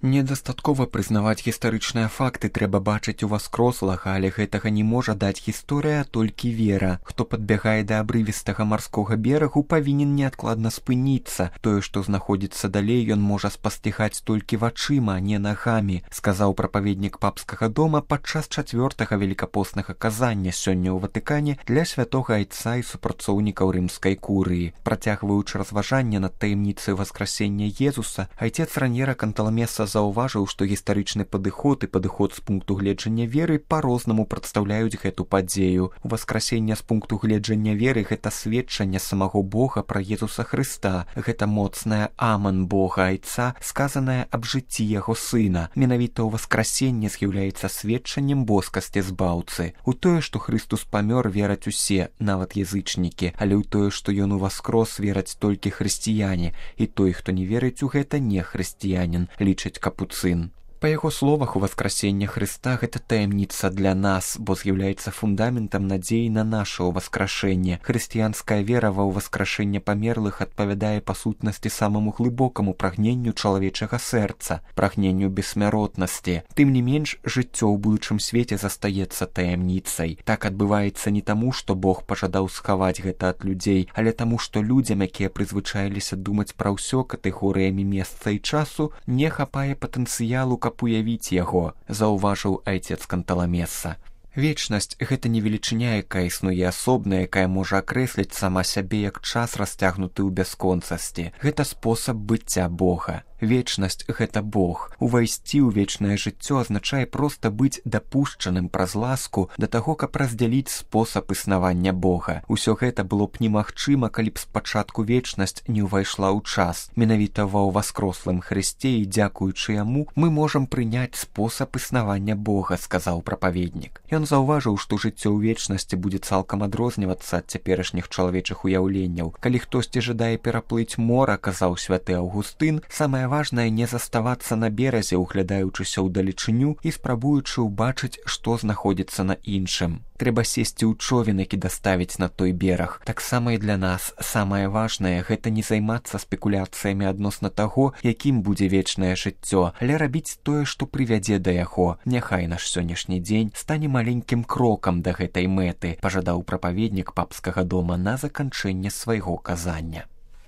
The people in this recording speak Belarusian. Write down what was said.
Недастаткова прызнаваць гістарычныя факты, трэба бачыць уваскрослага, але гэтага не можа даць гісторыя, толькі вера. Хто падбягае да абрывістага марскога берагу, павінен неадкладна спыніцца. Тое, што знаходзіцца далей, ён можа спасцігаць толькі вачыма, а не нагамі, сказаў прапаведнік папскага дома падчас 4-га велікапоснага казання сёння ў Ватыкане для святога айца і супрацоўнікаў рымскай курыі. Працягваючы разважанне над таямніцай васкрасення Езуса, айцец Раньера Канталамеса заўважыў, што гістарычны падыход і падыход з пункту гледжання веры па-рознаму прадстаўляюць гэту падзею. Уваскрасенне з пункту гледжання веры — гэта сведчанне самого Бога пра Езуса Хрыста. Гэта моцнае аман Бога айца, сказанае аб жыцці яго сына. Менавіта ўваскрасенне з'яўляецца сведчаннем боскасці збаўцы. У тое, што Хрыстус памёр, вераць усе, нават язычнікі, але ў тое, што ён уваскрос, вераць толькі хрысціяне, і той, хто не верыць у гэта, не хрысціянін, лічыць Капуцын. Па яго словах, уваскрасення Хрыста — гэта таямніца для нас, бо з'яўляецца фундаментам надзеі на наша ўваскрашэнне. Хрысціянская вера ва ўваскрашэнне памерлых адпавядае па сутнасці самаму глыбокаму прагненню чалавечага сэрца, прагненню бессмяротнасці. Тым не менш, жыццё ў будучым свеце застаецца таямніцай. Так адбываецца не таму, што Бог пажадаў схаваць гэта ад людзей, але таму, што людзям, якія прызвычаіліся думаць пра ўсё катэгорыямі месца і часу, не хапае патэнцыялу, каб уявіць яго, заўважыў айцец Канталамеса. Вечнасць — гэта не велічыня, якая існуе асобна, якая можа акрэсліць сама сябе як час, расцягнуты ў бясконцасці. Гэта спосаб быцця Бога. Вечнасць — гэта Бог. Увайсці ў вечнае жыццё азначае проста быць дапушчаным праз ласку да таго, каб раздзяліць спосаб існавання Бога. Усё гэта было б немагчыма, калі б спачатку вечнасць не ўвайшла ў час. Менавіта ва ўваскрослым Хрысце і дзякуючы яму мы можам прыняць спосаб існавання Бога, сказаў прапаведнік. Ён заўважыў, што жыццё ў вечнасці будзе цалкам адрознівацца ад цяперашніх чалавечых уяўленняў. Калі хтосьці жадае пераплыць мора, казаў святы Аўгустын, самае важнае не заставацца на беразе, углядаючыся ўдалечыню і спрабуючы ўбачыць, што знаходзіцца на іншым. Трэба сесці ў човен, які даставіць на той бераг. Таксама і для нас самае важнае — гэта не займацца спекуляцыямі адносна таго, якім будзе вечнае жыццё, але рабіць тое, што прывядзе да яго. Няхай наш сённяшні дзень стане маленькім крокам да гэтай мэты, пажадаў прапаведнік папскага дома на заканчэнне свайго казання.